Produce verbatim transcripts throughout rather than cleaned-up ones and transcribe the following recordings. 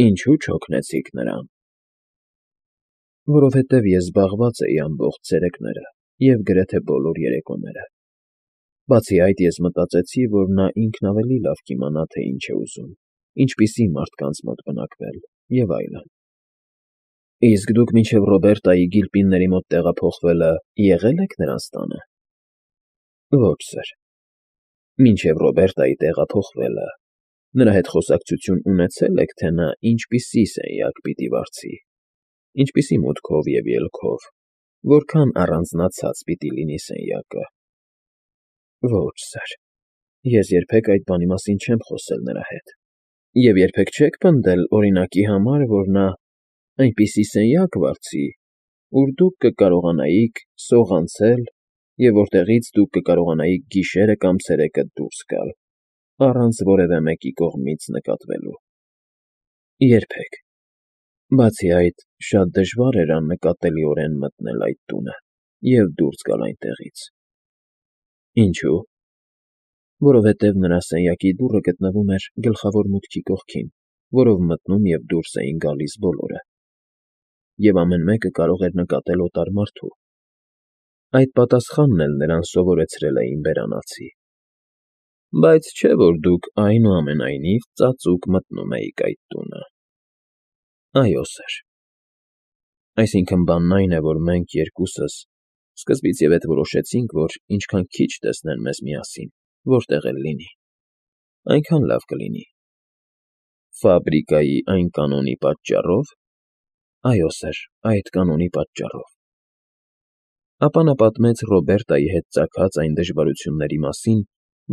Ինչու չօգնեցիք նրան։ Որովհետև ես զբաղված էի ամբողջ ցերեկները և գրեթե բոլոր երեկոները։ Բացի այդ, ես մտածեցի, որ նա ինքն ավելի լավ կիմանա, թե ինչ է ուզում, ինչպիսի մարդկանց մոտ բնակվել և այլն։ Իսկ դուք մինչև Ռոբերտայի Գիլպինների մոտ տեղափոխվելը եղե՞լ եք նրանց տանը։ Ոչ, սըր։ Մինչև Ռոբերտայի տեղափոխվելը նրա հետ խոսակցություն ունեցե՞լ եք, թե նա ինչպիսի սենյակ պիտի վարձի, ինչպիսի մուտքով և ելքով, որքան առանձնացած պիտի լինի սենյակը։ Ոչ, սըր, ես երբեք այդ բանի մասին չեմ խոսել նրա հետ։ Եվ երբեք չե՞ք պնդել, օրինակի համար, որ նա այնպիսի սենյակ վարձի, ուր դուք կկարողանայիք սողանցել և որտեղից դուք կկարողանայիք գիշերը կամ ցերեկը դուրս գալ, առանց որևէ մեկի կողմից նկատվելու։ Երբեք։ Բացի այդ, շատ դժվար էր աննկատելիորեն մտնել այդ տունը և դուրս գալ այնտեղից։ Ինչո՞ւ։ Որովհետև նրա սենյակի դուռը գտնվում էր գլխավոր մուտքի կողքին, որով մտնում և դուրս էին գալիս բոլորը, և ամեն մեկը կարող էր նկատել օտար մարդու։ Այդ պատասխանն էլ նրան սովորեցրել էին բերանացի։ Բայց չէ՞ որ դուք, այնուամենայնիվ, ծածուկ մտնում էիք այդ տունը։ Այո, սըր։ Այսինքն՝ բանն այն է, որ մենք երկուսս սկզբից և ետ որոշեցինք, որ ինչքան քիչ տեսնեն մեզ միասին, որտեղ էլ լինի, այնքան լավ կլինի։ Ֆաբրիկայի այն կանոնի պատճառո՞վ։ Այո, սըր, այդ կանոնի պատճառով։ Ապա նա պատմեց Ռոբերտայի հետ ծագած այն դժվարությունների մասին,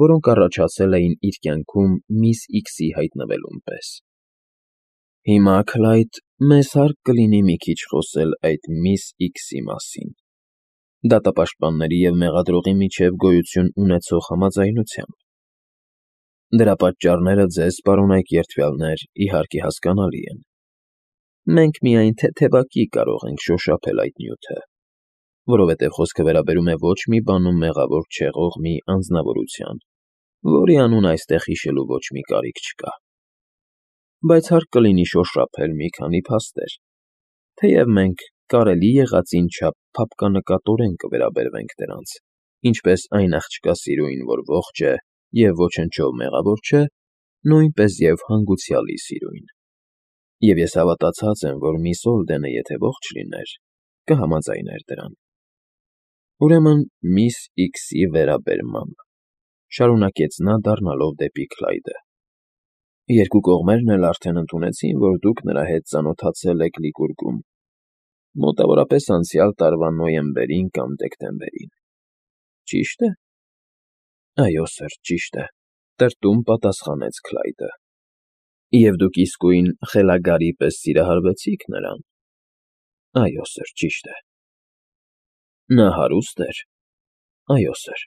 որոնք առաջացել էին իր կյանքում միս Իքսի հայտնվելուն պես։ Հիմա, Քլայդ, մեզ հարկ կլինի մի քիչ խոսել այդ միս Իքսի մասին, դատապաշտպանների և մեղադրողի միջև գոյություն ունեցող համաձայնությամբ։ Դրա պատճառները ձեզ, պարոնայք երդվյալներ, իհարկե հասկանալի են։ Մենք միայն թեթևակի կարող ենք շոշափել այդ նյութը, որովհետև խոսքը վերաբերում է ոչ մի բանում մեղավոր չեղող մի անձնավորության, որի անունը այստեղ հիշելու ոչ մի կարիք չկա։ Բայց հարկ կլինի շոշափել մի քանի փաստեր, թեև մենք կարելի եղածին չափ փափկանակատորեն կվերաբերվենք դրանց, ինչպես այն աղջկա սիրուին, որ ողջ է և ոչնչով մեղավոր չէ, նույնպես և հանգուցյալի սիրուին։ Եվ ես հավատացած եմ, որ միս Օլդենը, եթե ողջ լիներ, կհամաձայներ դրան։ Ուրեմն, միս Իքսի վերաբերմամբ, շարունակեց նա, դառնալով դեպի Քլայդը, երկու կողմերն էլ արդեն ընդունեցին, որ դուք նրա հետ ծանոթացել եք Լիկուրգում, մոտավորապես անցյալ տարվա նոյեմբերին կամ դեկտեմբերին, ճի՞շտ է։ Այո, սըր, ճիշտ է, տրտում պատասխանեց Քլայդը։ Եվ դուք իսկույն խելագարի պես սիրահարվեցի՞ք նրան։ Այո, սըր, ճիշտ է։ Նա հարուստ էր։ Այո, սըր։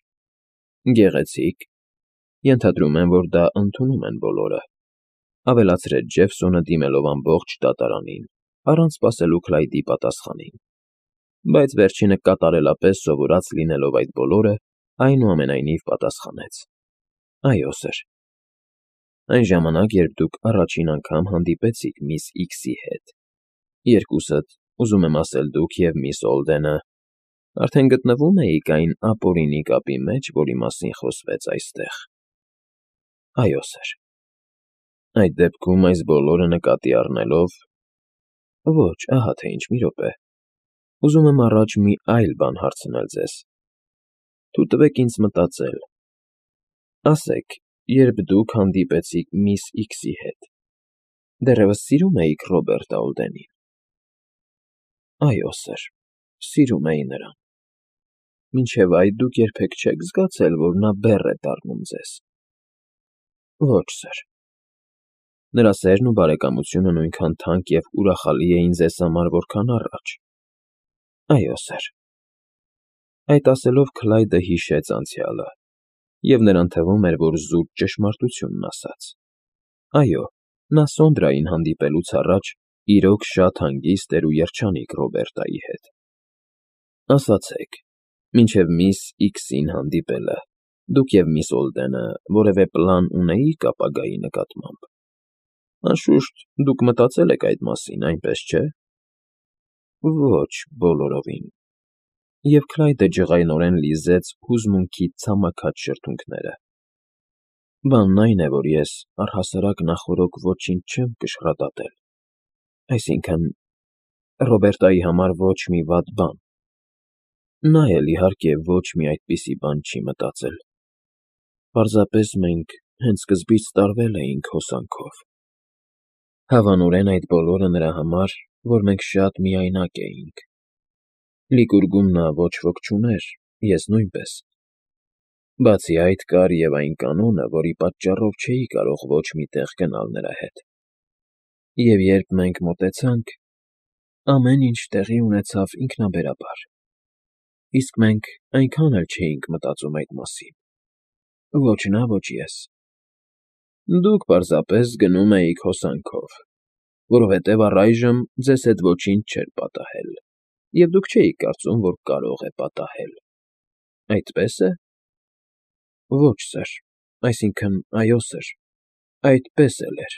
Գեղեցիկ։ Ենթադրում եմ, որ դա ընդունում են բոլորը, ավելացրեց Ջեֆսոնը, դիմելով ամբողջ դատարանին, առանց սպասելու Քլայդի պատասխանին։ Բայց վերջինը կատարելապես սովորած լինելով այդ բոլորը, այնուամենայնիվ պատասխանեց. Այո, սըր։ Այն ժամանակ, երբ դուք առաջին անգամ հանդիպեցիք միս Իքսի հետ, երկուսդ, ուզում եմ ասել դուք և միս Օլդենը, արդեն գտնվո՞ւմ էիք այն ապօրինի կապի մեջ, որի մասին խոսվեց այստեղ։ Այո, սըր։ Այդ դեպքում, այս բոլորը նկատի առնելով… Ոչ, ահա թե ինչ, մի րոպե, ուզում եմ առաջ մի այլ բան հարցնել ձեզ, թույլ ինձ մտածել։ Ասեք, երբ դուք հանդիպեցիք միս Իքսի հետ, դեռևս սիրո՞ւմ էիք Ռոբերտ Օլդենին։ Այո, սըր, սիրում էի նրան։ Մինչև այդ դուք երբեք չե՞ք զգացել, որ նա բեռ է դառնում ձեզ։ Ոչ, սըր։ Նրա սերն ու բարեկամությունը նույնքան թանկ և ուրախալի էին ձեզ համար, որքան առաջ։ Այո, սըր։ Այդ ասելով Քլայդը հիշեց անցյալը, և նրան թվում էր, որ զուտ ճշմարտությունն ասաց։ Այո, նա Սոնդրային հանդիպելուց առաջ իրոք շատ հանգիստ էր ու երջանիկ Ռոբերտայի հետ։ Ասացեք, մինչև միս Իքսին հանդիպելը դուք և միս Օլդենը որևէ պլան ունեի՞ք ապագայի նկատմամբ։ Անշուշտ դուք մտածել եք այդ մասին, այնպես չէ՞։ Ոչ բոլորովին։ Եվ Քլայդը ջղայնորեն լիզեց հուզմունքից ցամաքած շրթունքները։ Բանն այն է, որ ես առհասարակ նախօրոք ոչինչ չեմ կշռադատել, այսինքն՝ Ռոբերտայի համար ոչ մի վատ բան։ Նա էլ, իհարկե, ոչ մի այդպիսի բան չի մտածել։ Պարզապես մենք հենց սկզբից տարվել էինք հոսանքով։ Հավանորեն այդ բոլորը նրա համար, որ մենք շատ միայնակ էինք։ Լիկուրգում նա ոչ ոք չուներ, ես նույնպես։ Բացի այդ կար և այն կանոնը, որի պատճառով չէի կարող ոչ մի տեղ գնալ նրա հետ։ Եվ երբ մենք մոտեցանք, ամեն ինչ տեղի ունեցավ ինքնաբերաբար, իսկ մենք այնքան էլ չէինք մտածում այդ մասին։ Ոչ նա, ոչ ես։ Դուք պարզապես գնում էիք հոսանքով, որովհետև առայժմ ձեզ հետ ոչինչ չէր պատահել, և դուք չէիք կարծում, որ կարող է պատահել, այդպե՞ս է։ Ոչ, սըր, այսինքն՝ այո, սըր, այդպես էլ էր։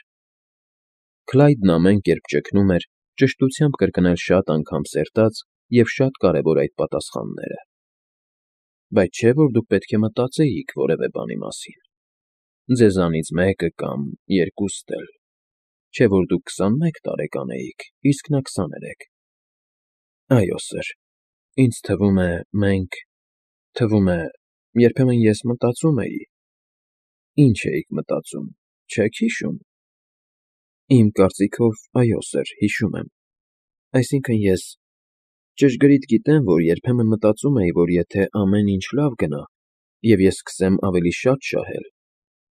Քլայդն ամեն կերպ ճգնում էր ճշտությամբ կրկնել շատ անգամ սերտած և շատ կարևոր այդ պատասխանները։ Բայց չէ՞ որ դուք պետք է մտածեիք որևէ բանի մասին։ Ձեզանից մեկը կամ երկուստ էլ, չէ՞ որ դուք քսանմեկ տարեկան էիք, իսկ նա քսաներեք։ Այո, սըր, ինձ թվում է, մենք… թվում է, երբեմն ես մտածում էի… Ինչ էիք մտածում, չե՞ք հիշում։ Իմ կարծիքով, այո, սըր, հիշում եմ։ Այսինքն՝ ես… ճշգրիտ գիտեմ, որ երբեմն մտածում էի, որ եթե ամեն ինչ լավ գնա, և ես սկսեմ ավելի շատ շահել,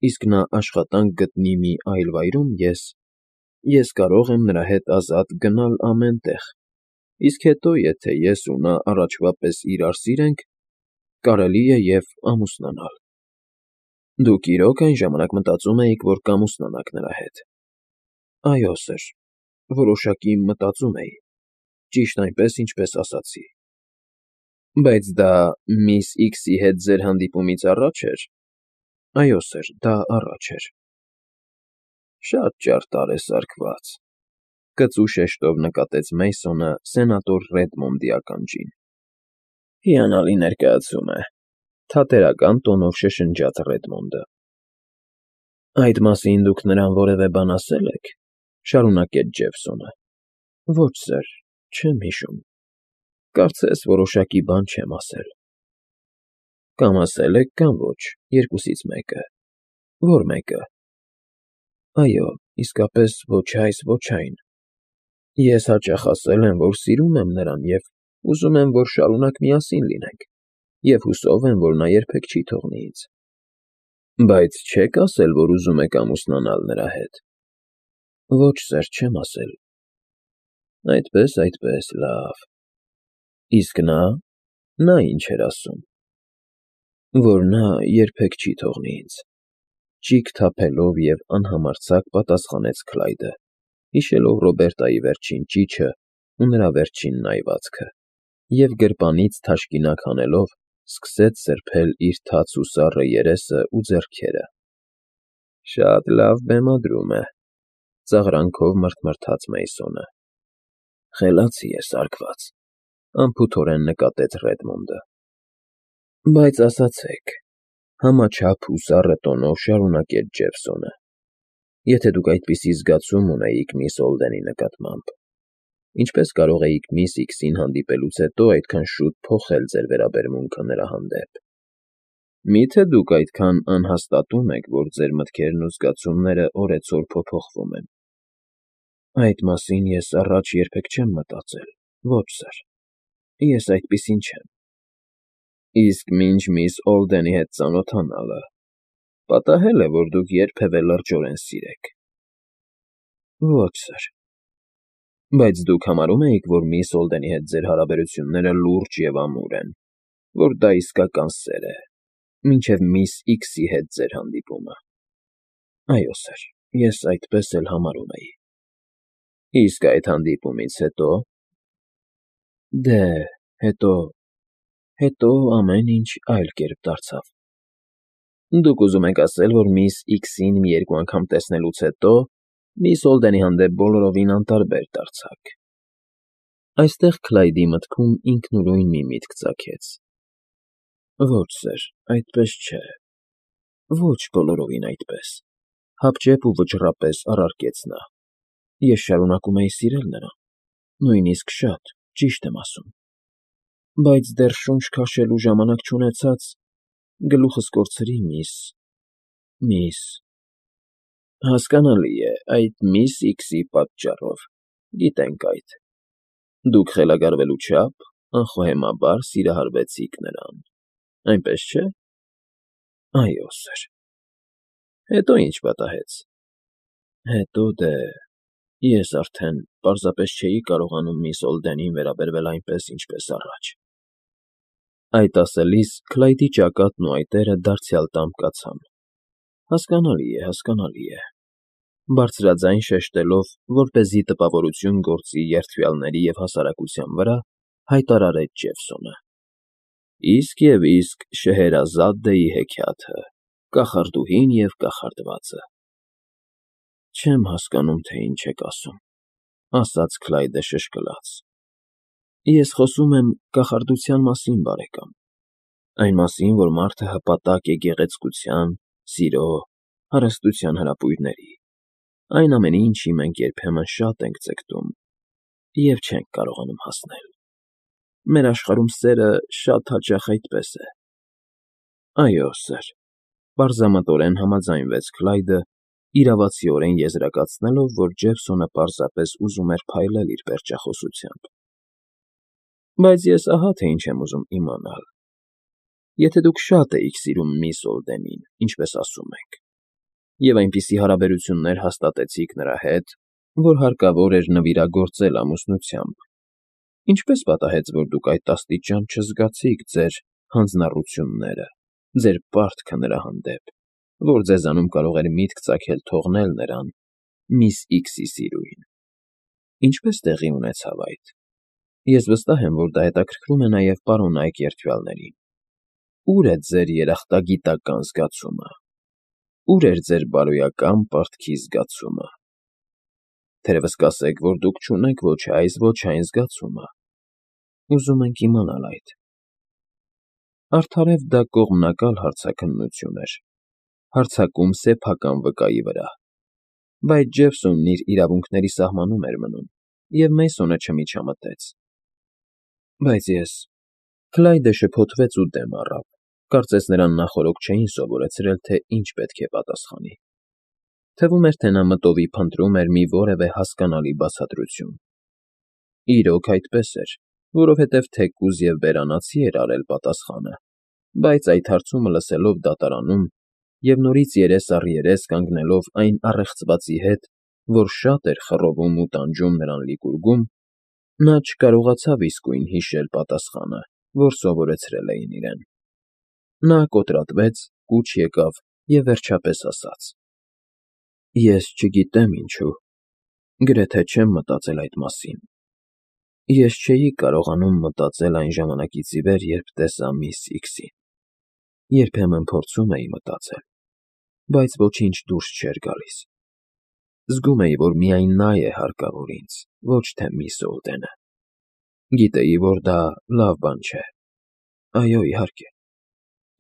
իսկ նա աշխատանք գտնի մի այլ վայրում, ես… ես կարող եմ նրա հետ ազատ գնալ ամեն տեղ, իսկ հետո, եթե ես ու նա առաջվա պես իրար սիրենք, կարելի է և ամուսնանալ։ Դուք իրո՞ք այն ժամանակ մտածում էիք, որ կամուսնանաք նրա հետ։ Այո, սըր, որոշակի մտածում էի, ճիշտ այնպես, ինչպես ասացի։ Բայց դա միս Իքսի հետ ձեր հանդիպումից առաջ էր։ Այո, սըր, դա առաջ էր։ Շատ ճարտար է սարքված, կծու շեշտով նկատեց Մեյսոնը սենատոր Ռեդմոնդի ականջին։ Հիանալի ներկայացում է, թատերական տոնով շշնջաց Ռեդմոնդը։ Այդ մասին դուք նրան որևէ բան ասե՞լ եք, շարունակեց Ջեֆսոնը։ Ոչ, սըր, չեմ հիշում։ Կարծես որոշակի բան չեմ ասել։ Կամ ասել եք, կամ ոչ, երկուսից մեկը։ Ո՞ր մեկը։ Այո, իսկապես ոչ այս, ոչ այն։ Ես հաճախ ասել եմ, որ սիրում եմ նրան և ուզում եմ, որ շարունակ միասին լինենք, և հուսով եմ, որ նա երբեք չի թողնի ինձ։ Բայց չե՞ք ասել, որ ուզում եք ամուսնանալ նրա հետ։ Ոչ, սըր, չեմ ասել։ Այդպես, այդպես, լավ։ Իսկ նա… նա ինչ էր ասում։ Որ նա երբեք չի թողնի ինձ։ Ճիգ թափելով և անհամարձակ պատասխանեց Քլայդը, հիշելով Ռոբերտայի վերջին ճիչը ու նրա վերջին նայվածքը, և գրպանից թաշկինակ հանելով սկսեց սրբել իր թաց ու սառը երեսն ու ձեռքերը։ Շատ լավ բեմադրում է, ծաղրանքով մռթմռթաց Մեյսոնը։ Խելացի է սարքված, անփութորեն նկատեց Ռեդմոնդը։ Բայց ասացեք, համաչափ ու սառը տոնով շարունակեց Ջեֆսոնը, եթե դուք այդպիսի զգացում ունեիք միս Օլդենի նկատմամբ, ինչպես կարող էիք միս Իքսին հանդիպելուց հետո այդքան շուտ փոխել ձեր վերաբերմունքը նրա հանդեպ։ Մի՞թե դուք այդքան անհաստատում եք, որ ձեր մտքերն ու զգացումները օրեցօր փոփոխվում են։ Այդ մասին ես առաջ երբեք չեմ մտածել։ Ոչ, սըր, ես այդպիսին չեմ։ Իսկ մինչ միս Օլդենի հետ ծանոթանալը պատահե՞լ է, որ դուք երբևէ լրջորեն սիրեք։ Ոչ, սըր։ Բայց դուք համարո՞ւմ էիք, որ միս Օլդենի հետ ձեր հարաբերությունները լուրջ և ամուր են, որ դա իսկական սեր է, մինչև միս Իքսի հետ ձեր հանդիպումը։ Այո, սըր, ես այդպես էլ համարում էի։ Իսկ այդ հանդիպումից հետո… Դե, հետո… հետո ամեն ինչ այլ կերպ դարձավ։ Դուք ուզում եք ասել, որ միս Իքսին մի երկու անգամ տեսնելուց հետո… Միս Հոլդենի հանդեպ բոլորովին անտարբեր դարձաք։ Այստեղ Քլայդի մտքում ինքնուրույն մի միտք ծագեց. Ոչ, սըր, այդպես չէ, ոչ բոլորովին այդպես, հապճեպ ու վճռապես առարկեց նա, ես շարունակում էի սիրել նրան, նույնիսկ շատ, ճիշտ եմ ասում, բայց դեռ շունչ քաշելու ժամանակ չունեցած, գլուխս կորցրի միս… միս… Հասկանալի է, այդ միս Իքսի պատճառով, գիտենք այդ… Դուք խելագարվելու չափ անխոհեմաբար սիրահարվեցիք նրան, այնպես չէ… Այո, սըր… Հետո ի՞նչ պատահեց… Հետո դե… ես արդեն պարզապես չէի կարողանում միս Հոլդենին վերաբերվել այնպես, ինչպես առաջ… Այդ ասելիս Քլայդի ճակատն ու այտերը դարձյալ տամկացան… Հասկանալի է, հասկանալի է… Բարձրաձայն շեշտելով, որպեսզի տպավորություն գործի երդվյալների և հասարակության վրա, հայտարարեց Ջեֆսոնը. Իսկ և իսկ Շեհերազադեի հեքիաթը, կախարդուհին և կախարդվածը… Չեմ հասկանում, թե ինչ եք ասում, ասաց Քլայդը շշկլաց… Ես խոսում եմ կախարդության մասին, բարեկամ, այն մասին, որ մարդը հպատակ է գեղեցկության, սիրո, հարստության հրապույրների, այն ամենի, ինչի մենք երբեմն շատ ենք ձգտում և չենք կարողանում հասնել… Մեր աշխարհում սերը շատ հաճախ այդպես է… Այո, սըր… պարզամտորեն համաձայնվեց Քլայդը, իրավացիորեն եզրակացնելով, որ Ջեֆսոնը պարզապես ուզում էր փայլել իր պերճախոսությամբ… Բայց ես ահա թե ինչ եմ ուզում իմանալ… Եթե դուք շատ էիք սիրում միս Հոլդենին, ինչպես ասում եք, և այնպիսի հարաբերություններ հաստատեցիք նրա հետ, որ հարկավոր էր նվիրագործել ամուսնությամբ, ինչպե՞ս պատահեց, որ դուք այդ աստիճան չզգացիք ձեր հանձնառությունները, ձեր պարտքը նրա հանդեպ, որ ձեզանում կարող էր միտք ծագել թողնել նրան, միս Իքսի սիրուհին… Ինչպե՞ս տեղի ունեցավ այդ… Ես վստահ եմ, որ դա հետաքրքրում է նաև պարոնայք երդվյալներին… Ո՞ւր է ձեր երախտագիտական զգացումը… Ո՞ւր էր ձեր բարոյական պարտքի զգացումը… Թերևս կասեք, որ դուք չունեք ոչ այս, ոչ այն զգացումը… Ուզում ենք իմանալ այդ… Արդարև դա կողմնակալ հարցաքննություն էր, հարձակում սեփական վկայի վրա, բայց Ջեֆսոնն իր իրավունքների սահմանում էր մնում, և Մեյսոնը չմիջամտեց… Բայց ես… Քլայդը շփոթվեց ու դեմ առավ, կարծես նրան նախօրոք չէին սովորեցրել, թե ինչ պետք է պատասխանի… Թվում էր, թե նա մտովի փնտրում էր մի որևէ հասկանալի բացատրություն… Իրոք այդպես էր, որովհետև թեկուզ և բերանացի էր արել պատասխանը, բայց այդ հարցումը լսելով դատարանում և նորից երես առ երես կանգնելով այն առեղծվածի հետ, որ շատ էր խռովում ու տանջում նրան լիկուργում, նա չկարողացավ իսկույն հիշել պատասխանը, որ սովորեցրել էին իրեն… Նա կոտրատվեց, կուչ եկավ և վերջապես ասաց. Ես չգիտեմ ինչու, գրեթե չեմ մտածել այդ մասին… Ես չէի կարողանում մտածել այն ժամանակից ի վեր, երբ տեսա միս Իքսին… Երբեմն փորձում էի մտածել, բայց ոչինչ դուրս չէր գալիս… Զգում էի, որ միայն նա է հարկավոր ինձ, ոչ թե միս Հոլդենը… Գիտեի, որ դա լավ բան չէ… Այո, իհարկե…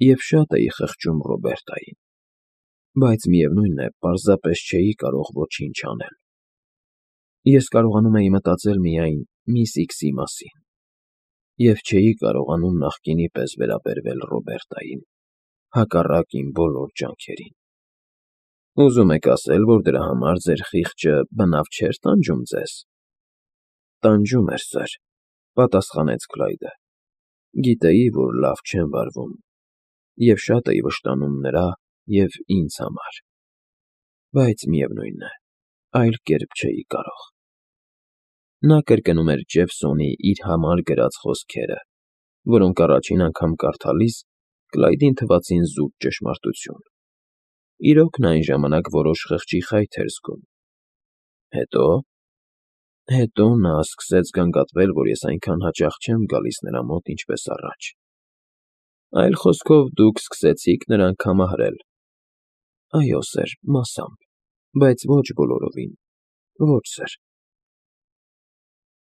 Եվ շատ էի խղճում Ռոբերտային… Բայց, միևնույն է, պարզապես չէի կարող ոչինչ անել… Ես կարողանում էի մտածել միայն միս Իքսի մասին… Եվ չէի կարողանում նախկինի պես վերաբերվել Ռոբերտային, հակառակ իմ բոլոր ջանքերին… Ուզում եք ասել, որ դրա համար ձեր խիղճը բնավ չէր տանջում ձեզ… Տանջում էր, սըր… պատասխանեց Քլայդը… Գիտեի, որ լավ չեմ վարվում և շատ էի վշտանում նրա և ինձ համար… Բայց, միևնույն է, այլ կերպ չէի կարող… Նա կրկնում էր Ջեֆսոնի իր համար գրած խոսքերը, որոնք առաջին անգամ կարդալիս Քլայդին թվացին զուտ ճշմարտություն… Իրոք նա այն ժամանակ որոշ խղճի խայթ էր զգում… Հետո… Հետո նա սկսեց գանգատվել, որ ես այնքան հաճախ չեմ գալիս նրա մոտ, ինչպես առաջ… Այլ խոսքով, դուք սկսեցիք նրան քամահրել… Այո, սըր, մասամբ, բայց ոչ բոլորովին… Ոչ, սըր։